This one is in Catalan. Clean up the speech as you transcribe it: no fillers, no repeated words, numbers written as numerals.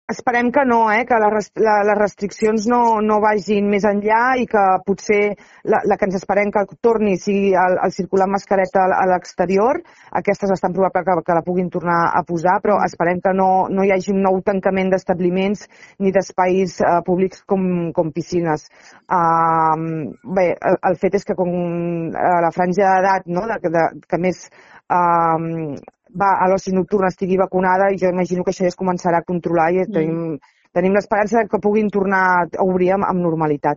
Esperem que no, que les restriccions no vagin més enllà i que potser la que ens esperem que torni sigui el circular amb mascareta a l'exterior. Aquestes estan probable que la puguin tornar a posar, però esperem que no hi hagi un nou tancament d'establiments ni d'espais públics com piscines. Bé, el fet és que com la franja d'edat que més va a l'oci nocturn estigui vacunada, i jo imagino que això ja es començarà a controlar i tenim l'esperança que puguin tornar a obrir amb normalitat.